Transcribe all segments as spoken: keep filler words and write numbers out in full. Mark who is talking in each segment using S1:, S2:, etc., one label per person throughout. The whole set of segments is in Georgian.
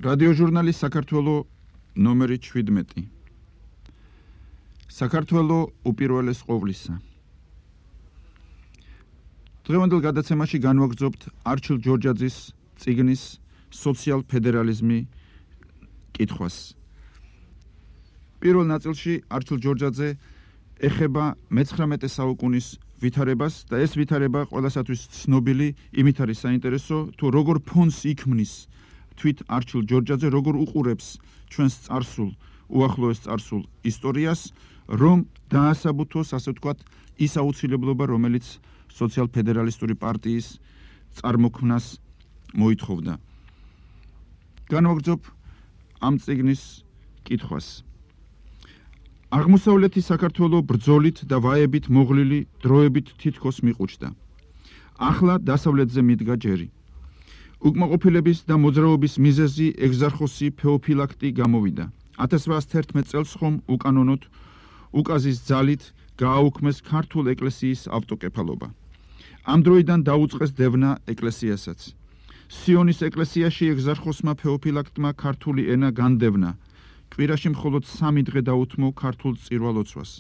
S1: რადიოჟურნალი საქართველო ნომერი შვიდმეტი. საქართველო უპირველეს ყოვლისა. დღევანდელ გადაცემაში განვაგრძობთ არჩილ ჯორჯაძის წიგნის სოციალ ფედერალიზმი კითხვას. პირველ ნაწილში არჩილ ჯორჯაძე ეხება მეცხრამეტე საუკუნის ვითარებას და ეს ვითარება ყველასათვის ცნობილი იმით არის საინტერესო, თუ როგორ ფონს იქმნის თვით არჩილ ჯორჯაძე, როგორ უყურებს ჩვენს წარსულ, უახლოეს წარსულ ისტორიას, რომ დაასაბუთოს, ასე ვთქვათ, ის აუცილებლობა, რომელიც სოციალ-ფედერალისტური პარტიის წარმოქმნას მოითხოვდა. განვაგრძობ ამ წიგნის კითხვას. აღმოსავლეთი საქართველო ბრძოლით და ვაებით მოღლილი დროებით თითქოს მიყუჩდა. ახლა დასავლეთზე მიდგა ჯერი. უკმაყოფილების და მოძრაობის მიზეზი ეგზარხოსი ფეოფილაქტი გამოვიდა. ათას რვაასი თერთმეტ წელს ხომ უკანონოდ უკაზის ძალით გააუქმეს ქართულ ეკლესიის ავტოკეფალობა. ამ დროიდან დაუწყეს დევნა ეკლესიასაც. სიონის ეკლესიაში ეგზარხოსმა ფეოფილაქტმა ქართული ენა განდევნა. კვირაში მხოლოდ სამი დღე დაუთმო ქართულ წირვალოცვას.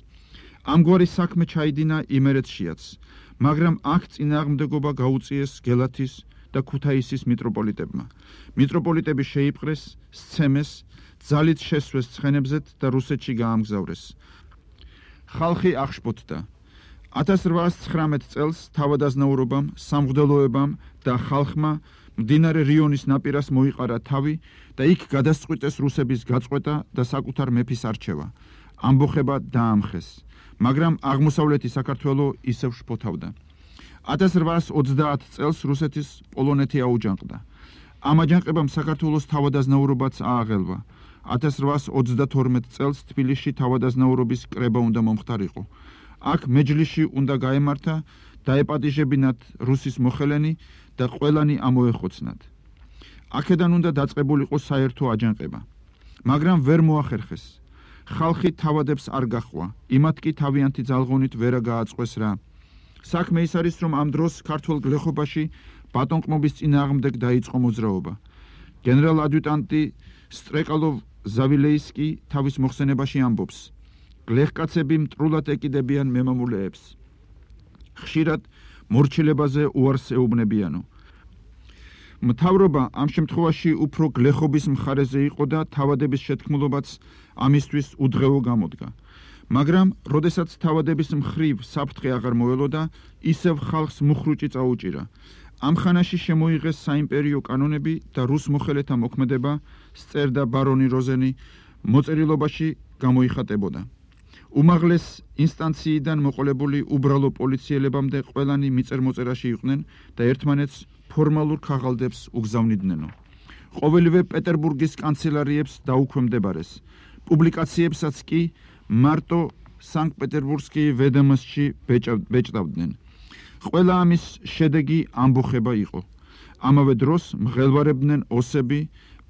S1: ამგვარი საქმე ჩაიდინა იმერეთშიაც, მაგრამ აქ წინააღმდეგობა გაუწიეს გელათის და ქუთაისის მიტროპოლიტებმა. მიტროპოლიტები შეიპყრეს, სცემეს, ძალით შესვეს ცხენებზეთ და რუსეთში გაამგზავრეს. ხალხი აღშფოთდა. ათას რვაასი ცხრამეტ წელს თავადაზნაურობამ, სამღვდელოებამ და ხალხმა მდინარე რიონის ნაპირას მოიყარა თავი და იქ გადასწყვიტეს რუსების გაწყვეტა და საკუთარ მეფის არჩევა. ამბოხება დაამხეს, მაგრამ აღმოსავლეთი საქართველო ისევ შფოთავდა. ათას რვაასი ოცდაათ წელს რუსეთის პოლონეთი აუჯანყდა. ამ აჯანყებამ საქართველოს თავადაზნაურობაც ააღელვა. ათას რვაასი ოცდათორმეტ წელს თბილისში თავადაზნაურობის კრება უნდა მომხდარიყო. აქ მეჯლიში უნდა გაემართა, დაეპატიჟებინათ რუსის მოხელენი და ყველანი ამოეხოცნათ. აქედან უნდა დაწყებულიყო საერთო აჯანყება. მაგრამ ვერ მოახერხეს. ხალხი თავადებს არ გაჰყვა, იმათ კი თავიანთი ძალღონით ვერა გააწყვეს რა. საქმე ის არის, რომ ამ დროს ქართულ გლეხობაში ბატონყმობის წინააღმდეგ დაიწყო მოძრაობა. გენერალ ადიუტანტი სტრეკალოვ ზავილეისკი თავის მოხსენებაში ამბობს: გლეხკაცები მტრულად ეკიდებიან მემამულეებს. ხშირად მორჩილებაზე უარს ეუბნებიანო. მთავრობა ამ შემთხვევაში უფრო გლეხობის მხარეზე იყო და თავადების შეთქმულობაც ამისთვის უდღეო გამოდგა. მაგრამ, როდესაც თავადების მხრივ საფრთხე აღარ მოელოდა, ისევ ხალხს მუხრუჭი წაუჭირა. ამ ხანაში შემოიღეს საიმპერიო კანონები და რუს მოხელეთა მოქმედება, სწერდა ბარონი როზენი, მოწერილობაში გამოიხატებოდა. უმაღლეს ინსტანციიდან მოყოლებული უბრალო პოლიციელებამდე ყველანი მიწერ-მოწერაში იყვნენ და ერთმანეთს ფორმალურ ქაღალდებს უგზავნიდნენო. ყოველივე პეტერბურგის კანცელარიებს დაუქვემდებარეს. პუბლიკაციებსაც კი მარტო სანქტ-პეტერბურგსკი ვედომოსტში ბეჭდავდნენ. ყველა ამის შედეგი ამბოხება იყო. ამავე დროს მღელვარებდნენ ოსები,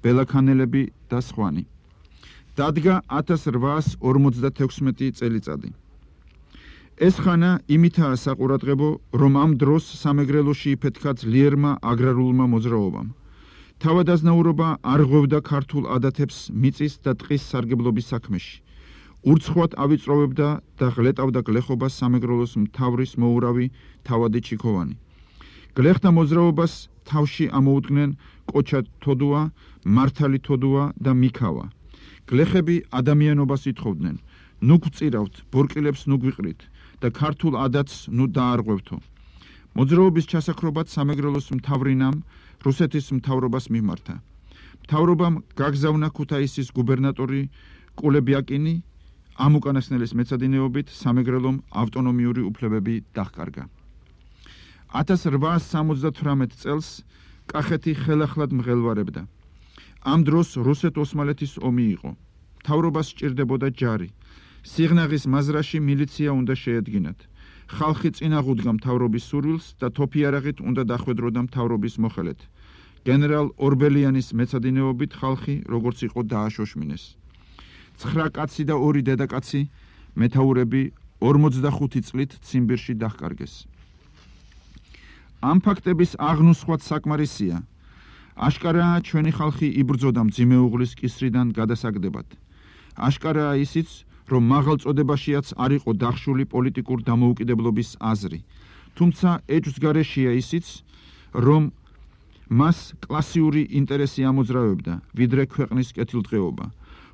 S1: ბელაქანელები და სხვანი. დადგა ათას რვაასი ორმოცდათექვსმეტი წელიწადი. ეს ხანა იმითაა საყურადღებო, რომ ამ დროს სამეგრელოში იფეთქა ძლიერმა აგრარულმა მოძრაობამ. თავადაზნაურობა არ ღვევდა ქართულ ადათებს მიწის და ტყის სარგებლობის საქმეში. ურცხვად ავიწროვებდა და ღლეტავდა გლეხობას სამეგრელოს მთავრის მოურავი თავადი ჩიქოვანი. გლეხთა მოძრაობას თავში ამოუდგნენ კოჩა თოდუა, მართალი თოდუა და მიქავა. გლეხები ადამიანობას ითხოვდნენ: ნუ გვწირავთ, ბორკილებს ნუ გვიყრით და ქართულ ადათს ნუ დაარღვევთო. მოძრაობის ჩასაქრობად სამეგრელოს მთავრინამ რუსეთის მთავრობას მიმართა. მთავრობამ გაგზავნა ქუთაისის გუბერნატორი კულებიაკინი, ამ უკანასკნელის მეცადინეობით სამეგრელომ ავტონომიური უფლებები დაჰკარგა. ათას რვაასი სამოცდათვრამეტ წელს კახეთი ხელახლად მღელვარებდა. ამ დროს რუსეთ-ოსმალეთის ომი იყო. მთავრობას სჭირდებოდა ჯარი. სიღნაღის მაზრაში მილიცია უნდა შეედგინათ. ხალხი წინ აღუდგა მთავრობის სურვილს და თოფიარაღით უნდა დახვედროდა მთავრობის მოხელეთ. გენერალ ორბელიანის მეცადინეობით ხალხი, როგორც იყო, დააშოშმინეს. ცხრა კაცი და ორი დედაკაცი მეთაურები ორმოცდახუთი წლით ციმბირში დაჰკარგეს. ამ ფაქტების აღნუსხვაც საკმარისია. აშკარაა ჩვენი ხალხი იბრძოდა მძიმე უღლის კისრიდან გადასაგდებად. აშკარაა ისიც, რომ მაღალ წოდებაშიაც არ იყო დახშული პოლიტიკურ დამოუკიდებლობის აზრი. თუმცა ეჭვს გარეშეა ისიც, რომ მას კლასიური ინტერესი ამოძრავებდა, ვიდრე ქვეყნის კეთილდღეობა.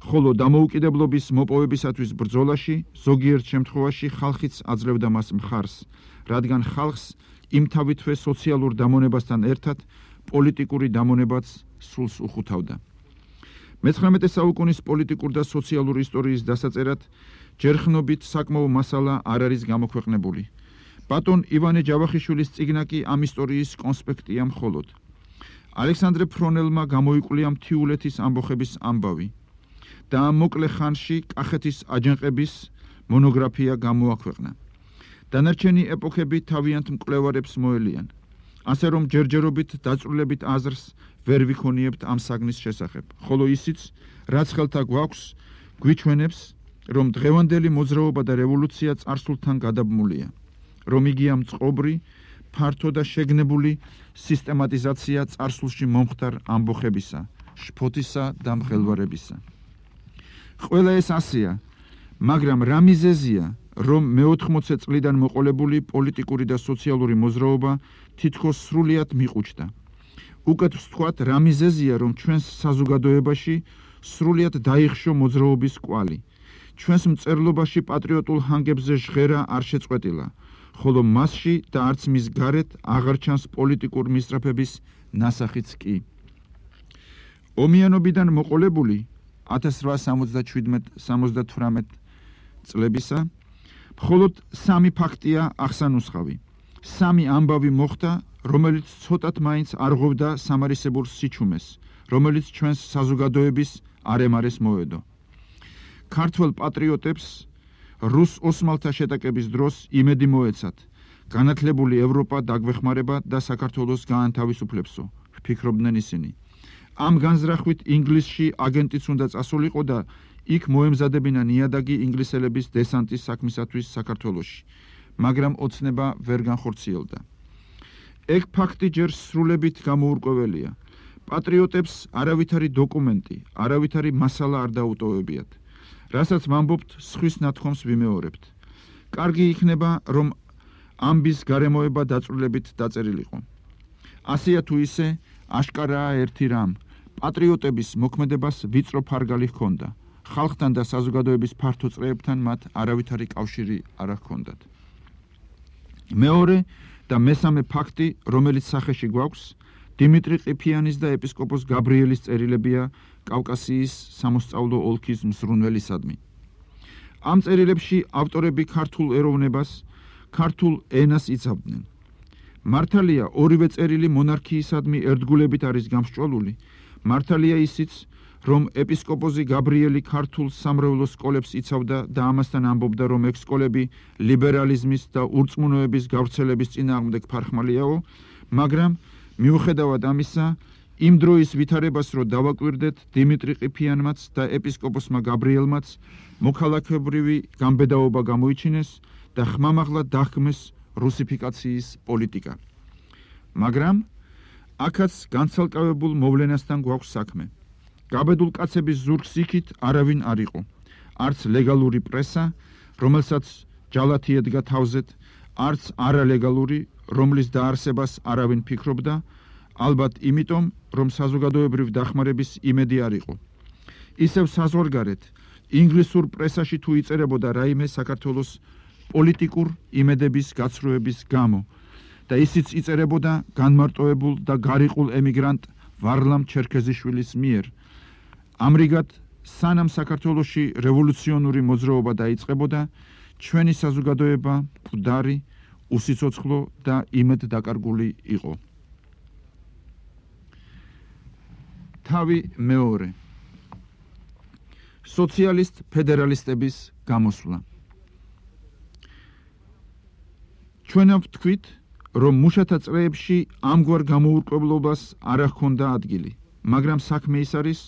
S1: ხოლო დამოუკიდებლობის მოპოვებისათვის ბრძოლაში ზოგიერთ შემთხვევაში ხალხიც აძლევდა მას მხარს, რადგან ხალხს იმთავითვე სოციალურ დამონებასთან ერთად პოლიტიკური დამონებაც სულს უხუთავდა. მეცხრამეტე საუკუნის პოლიტიკურ და სოციალური ისტორიის დასაწერად ჯერხნობით საკმაო მასალა არ არის გამოქვეყნებული. ბატონ ივანე ჯავახიშვილის წიგნა კი ამ ისტორიის კონსპექტია მხოლოდ. ალექსანდრე ფრონელმა გამოიკვლია მთიულეთის ამბოხების ამბავი და ამ მოკლე ხანში კახეთის აჯანყების მონოგრაფია გამოაქვეყნა. დანარჩენი ეპოქები თავიანთ მკვლევარებს მოელიან. ასე რომ ჯერჯერობით დაწვრილებით აზრს ვერ ვიქონიებთ ამ საგნის შესახებ, ხოლო ისიც, რაც ხელთა გვაქვს, გვიჩვენებს, რომ დღევანდელი მოძრაობა და რევოლუცია წარსულთან გადაბმულია, რომ იგია მწყობრი, ფართო და შეგნებული სისტემატიზაცია წარსულში მომხდარ ამბოხებისა, შფოთისა და მღელვარებისა. ყველა ეს ასეა, მაგრამ რა მიზეზია, რომ მეოთხმოცე წლიდან მოყოლებული პოლიტიკური და სოციალური მოძრაობა თითქოს სრულიად მიყუჩდა. უკეთ ვთქვათ, რა მიზეზია, რომ ჩვენს საზოგადოებაში სრულიად დაიხშო მოძრაობის კვალი. ჩვენს მწერლობაში პატრიოტულ ჰანგებზე ჟღერა არ შეწყვეტილა, ხოლო მასში და არც მის გარეთ აღარ ჩანს პოლიტიკურ მისწრაფების ნასახიც კი. ომიანობიდან მოყოლებული ათას რვაასი სამოცდათვრამეტ წლებისა მხოლოდ სამი ფაქტია აღსანუსხავი. სამი ამბავი მოხდა, რომელიც ცოტათ მაინც არღვევდა სამარისებურ სიჩუმეს, რომელიც ჩვენს საზოგადოების არემარეს მოედო. ქართველ პატრიოტებს რუს ოსმალთა შეტაკების დროს იმედი მოეცათ, განათლებული ევროპა დაგვეხმარება და საქართველოს გაანთავისუფლებსო, ვფიქრობდნენ ისინი. ამ განზრახვით ინგლისში აგენტიც უნდა წასულიყო და იქ მოემზადებინა ნიადაგი ინგლისელების დესანტის საქმისათვის საქართველოში, მაგრამ ოცნება ვერ განხორციელდა. ეგ ფაქტი ჯერ სრულებით გამოურკვეველია. პატრიოტებს არავითარი დოკუმენტი, არავითარი მასალა არ დაუტოვებიათ, რასაც ვამბობთ, სხვის ნათქვამს ვიმეორებთ. კარგი იქნება, რომ ამბის გარემოება დაწვრილებით დაწერილიყო. ასეა თუ ისე, აშკარაა ერთი რამ, პატრიოტების მოქმედებას ვიწრო ფარგალი ჰქონდა. ხალხთან და საზოგადოების ფართო წრეებთან მათ არავითარი კავშირი არ ჰქონდათ. მეორე და მესამე ფაქტი, რომელიც სახეში გვაქვს, დიმიტრი ყიფიანის და ეპისკოპოს გაბრიელის წერილებია კავკასიის სამოსწავლო ოლქის მზრუნველისადმი. ამ წერილებში ავტორები ქართულ ეროვნებას, ქართულ ენას იცავდნენ. მართალია ორივე წერილი მონარქიისადმი ერთგულებით არის გამსჭვალული, მართალია ისიც, რომ ეპისკოპოსი გაბრიელი ქართულ სამრევლო სკოლებს იცავდა და ამასთან ამბობდა, რომ ეგ სკოლები ლიბერალიზმის და ურწმუნოების გავრცელების წინააღმდეგ ფარხმალიაო, მაგრამ მიუხედავად ამისა, იმ დროის ვითარებას რო დავაკვირდეთ, დიმიტრი ყიფიანმაც და ეპისკოპოსმა გაბრიელმაც მოქალაქებრივი გამბედაობა გამოიჩინეს და ხმამაღლა დახმეს რუსიფიკაციის პოლიტიკა. მაგრამ აქაც განცალკევებულ მოვლენასთან გვაქვს საქმე. გაბედულ კაცების ზურგს იქით არავინ არ იყო. არც ლეგალური პრესა, რომელსაც ჯალათი ედგა თავზეთ, არც არალეგალური, რომლის დაარსებას არავინ ფიქრობდა, ალბათ იმიტომ, რომ საზოგადოებრივ დახმარების იმედი არ იყო. ისევ საზღვარგარეთ, ინგლისურ პრესაში თუ იწერებოდა რაიმე საქართველოს პოლიტიკურ იმედების გაცრუების გამო და ისიც იწერებოდა განმარტოებულ და გარიყულ ემიგრანტ ვარლამ ჩერქეზიშვილის მიერ. ამრიგად, სანამ საქართველოში რევოლუციონური მოძრაობა დაიწყებოდა, ჩვენი საზოგადოება მკვდარი, უსიცოცხლო და იმედ დაკარგული იყო. თავი მეორე. სოციალისტ ფედერალისტების გამოსვლა. ჩვენ ვთქვით, რომ მუშათა წრეებში ამგვარ გამოურკვევლობას არ ჰქონდა ადგილი, მაგრამ საქმე ის არის,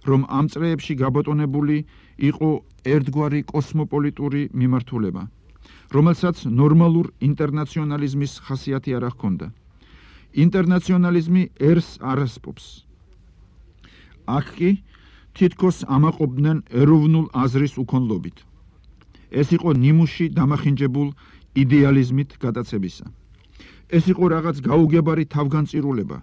S1: რომ ამ წრეებში გაბატონებული იყო ერთგვარი კოსმოპოლიტური მიმართულება, რომელსაც ნორმალურ ინტერნაციონალიზმის ხასიათი არ ჰქონდა. ინტერნაციონალიზმი ერს არასპობს. აქ კი თითქოს ამაყობდნენ ეროვნულ აზრის უქონლობით. ეს იყო ნიმუში დამახინჯებულ იდეალიზმით გადაცებისა. ეს იყო რაღაც გაუგებარი თავგანწირულება,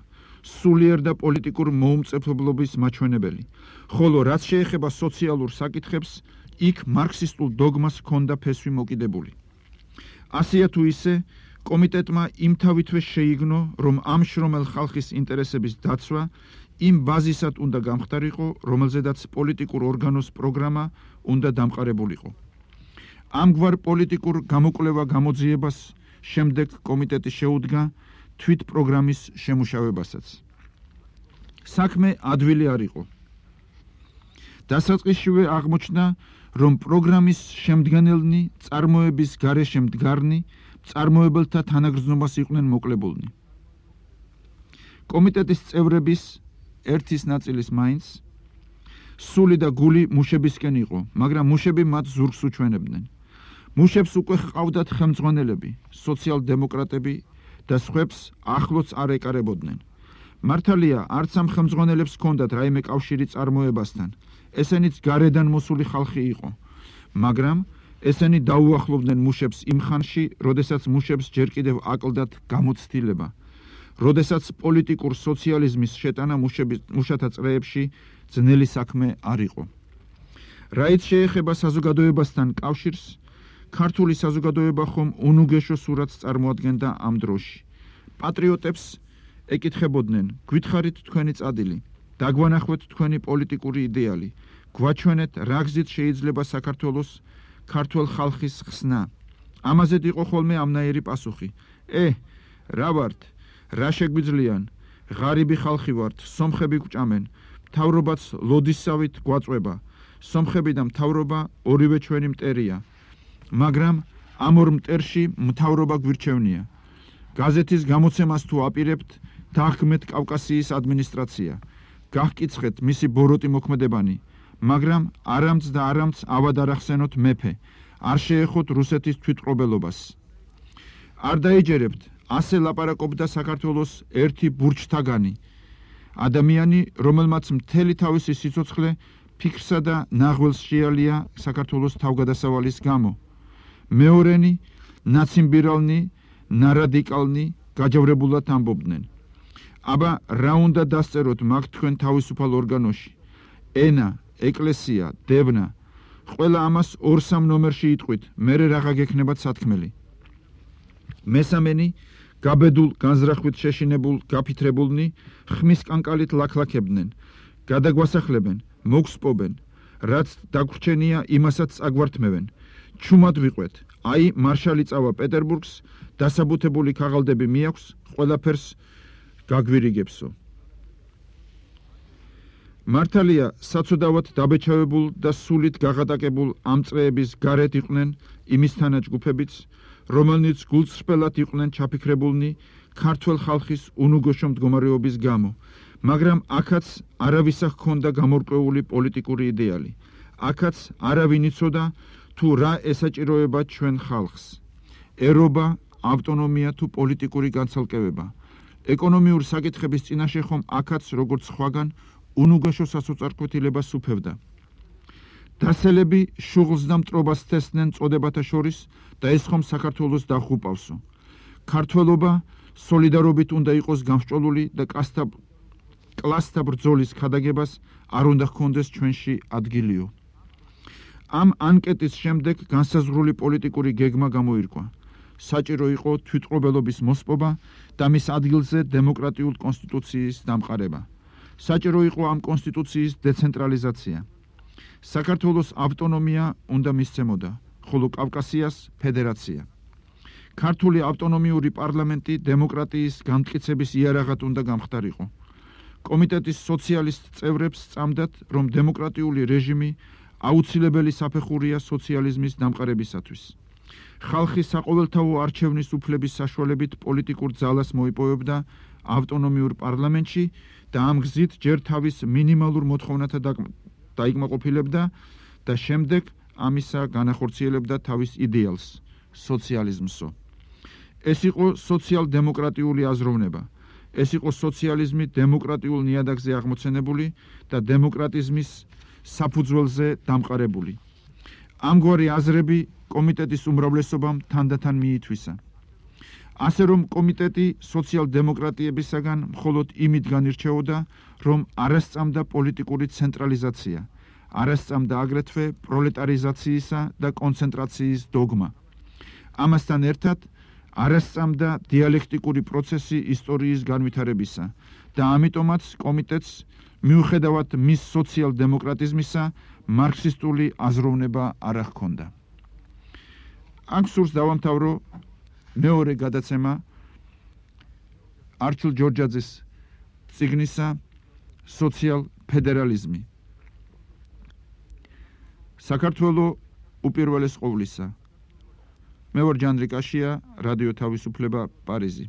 S1: სულიერ და პოლიტიკურ მოუმწეფებლობის მაჩვენებელი, ხოლო რაც შეეხება სოციალურ საკითხებს, იქ მარქსისტულ დოგმას ჰქონდა ფესვი მოკიდებული. ასეა თუ ისე, კომიტეტმა იმთავითვე შეიგნო, რომ ამ შრომელ ხალხის ინტერესების დაცვა იმ ბაზისად უნდა გამხდარიყო, რომელზედაც პოლიტიკურ ორგანოს პროგრამა უნდა დამყარებულიყო. ამგვარ პოლიტიკურ გამოკვლევა გამოძიებას შემდეგ კომიტეტი შეუდგა თვით პროგრამის შემუშავებასაც. საქმე ადვილი არ იყო. დასაწყისშივე აღმოჩნდა, რომ პროგრამის შემდგენელნი წარმოების გარეშე მდგარნი მწარმოებელთა თანაგრძნობას იყვნენ მოკლებულნი. კომიტეტის წევრების ერთის ნაწილის მაინც სული და გული მუშებისკენ იყო, მაგრამ მუშები მათ ზურგს უჩვენებდნენ. მუშებს უკვე ჰყავდათ ხელმძღვანელები, სოციალ-დემოკრატები და სხვებს ახლოც არ ეკარებოდნენ. მართალია, არც ამ ხელმძღვანელებს ჰქონდათ რაიმე კავშირი წარმოებასთან, ესენიც გარედან მოსული ხალხი იყო, მაგრამ ესენი დაუახლოვდნენ მუშებს იმ ხანში, როდესაც მუშებს ჯერ კიდევ აკლდათ გამოცდილება, როდესაც პოლიტიკურ სოციალიზმის შეტანა მუშათა წრეებში ძნელი საქმე არ იყო. რაით შეეხება საზოგადოებასთან კავშირს, ქართული საზოგადოება ხომ უნუგეშო სურათს წარმოადგენდა ამ დროში. პატრიოტებს ეკითხებოდნენ, გვითხარით თქვენი წადილი, დაგვანახვეთ თქვენი პოლიტიკური იდეალი, გვაჩვენეთ რა გზით შეიძლება საქართველოს ქართველ ხალხის ხსნა. ამაზედ იყო ხოლმე ამნაირი პასუხი. ე, რა ვართ, რა შეგვიძლიან, ღარიბი ხალხი ვართ, სომხები გვჭამენ, მთავრობაც ლოდისავით გვაწვება, სომხები და მთავრობა ორივე ჩვენი მტერია. მაგრამ ამ ორ მტერში მთავრობა გვირჩევნია. გაზეთის გამოცემას თუ აპირებთ, დაგმეთ კავკასიის ადმინისტრაცია. გახკიცხეთ მისი ბოროტი მოქმედებანი, მაგრამ არამც და არამც ავად არ ახსენოთ მეფე, არ შეეხოთ რუსეთის თვითმფრობელობას. არ დაეჯერებთ, ასე ლაპარაკობდა საქართველოს ერთი ბურჩთაგანი, ადამიანი, რომელმაც მთელი თავისი სიცოცხლე ფიქრსა და ნაღველს შეალია საქართველოს თავგადასავალის გამო. მეორენი, ნაციმბირალნი, ნარადიკალნი გაჯავრებულად ამბობდნენ. აბა, რა უნდა დასწეროთ მაგ თქვენ თავისუფალ ორგანოში? ენა, ეკლესია, დევნა, ყველა ამას ორ-სამ ნომერში იტყვით, მერე რაღა გექნებათ სათქმელი. მესამენი, გაბედულ, განზრახვით შეშინებულ, გაფითრებულნი, ხმის კანკალით ლაქლაქებდნენ, გადაგვასახლებენ, მოგსპობენ, რაც დაგვრჩენია, იმასაც წაგვართმევენ. ჩუმად ვიყვეთ, აი მარშალი წავა პეტერბურგს, დასაბუთებული ქაღალდები მიაქვს, ყველაფერს გაგვირიგებსო. მართალია, საცოდავად დაბეჭავებულ და სულით გაღატაკებულ ამ წრეების გარეთ იყვნენ იმისთანა ჯგუფებიც, რომელნიც გულწრფელად იყვნენ ჩაფიქრებულნი ქართველ ხალხის უნუგოშო მდგომარეობის გამო, მაგრამ აქაც არავისა ჰქონდა გამორკვეული პოლიტიკური იდეალი. აქაც არავინ იცოდა თუ რა ესაჭიროება ჩვენ ხალხს. ერობა, ავტონომია თუ პოლიტიკური განცალკევება. ეკონომიურ საკითხების წინაშე ხომ აქაც როგორც სხვაგან უნუგოშო სასოწარკვეთილებას უფევდა. დასელები შუღლს და მტრობას თესდნენ წოდებათა შორის და ეს ხომ საქართველოს დახუპავსო. ქართველობა სოლიდარობით უნდა იყოს გამსჭოლული და კლასთა ბრძოლის ქადაგებას არ უნდა ჰქონდეს ჩვენში ადგილიო. ამ ანკეტის შემდეგ განსაზღვრული პოლიტიკური გეგმა გამოირკვა. საჭირო იყო თვითმფრობელობის მოსპობა და მის ადგილზე დემოკრატიულ კონსტიტუციის დამყარება. საჭირო იყო ამ კონსტიტუციის დეცენტრალიზაცია. საქართველოს ავტონომია უნდა მისცემოდა, ხოლო კავკასიას ფედერაცია. ქართული ავტონომიური პარლამენტი დემოკრატიის განმტკიცების იარაღად უნდა გამხდარიყო. კომიტეტის სოციალისტ წევრებს სწამდათ, რომ დემოკრატიული რეჟიმი აუცილებელი საფეხურია სოციალიზმის დამყარებისათვის. ხალხი საყოველთაო არჩევნის უფლების საშუალებით პოლიტიკურ ძალას მოიპოვებდა ავტონომიურ პარლამენტში და ამ გზით ჯერ თავის მინიმალურ მოთხოვნათა დაიკმაყოფილებდა და შემდეგ ამისა განახორციელებდა თავის იდეალს, სოციალიზმსო. ეს იყო სოციალ-დემოკრატიული აზროვნება. ეს იყო სოციალიზმი დემოკრატიულ ნიადაგზე აღმოცენებული და დემოკრატიზმის საფუძველზე დამყარებული. ამგვარი აზრები კომიტეტის უმრავლესობამ თანდათან მიითვისა. ასე რომ კომიტეტი სოციალ-დემოკრატიებისაგან მხოლოდ იმით განირჩეოდა, რომ არ ასწამდა პოლიტიკური ცენტრალიზაცია, არ ასწამდა აგრეთვე პროლეტარიზაციისა და კონცენტრაციის დოგმა. ამასთან ერთად არ ასწამდა დიალექტიკური პროცესი ისტორიის განვითარებისა და ამიტომაც კომიტეტს მიუხედავად მის სოციალ-დემოკრატიზმისა მარქსისტული აზროვნება არ ჰქონდა. აქ სურს დავამთავრო მეორე გადაცემა არჩილ ჯორჯაძის წიგნისა სოციალ-ფედერალიზმი. საქართველო უპირველეს ყოვლისა. მე ვარ ჯანდრიკაშია, რადიო თავისუფლება, პარიზი.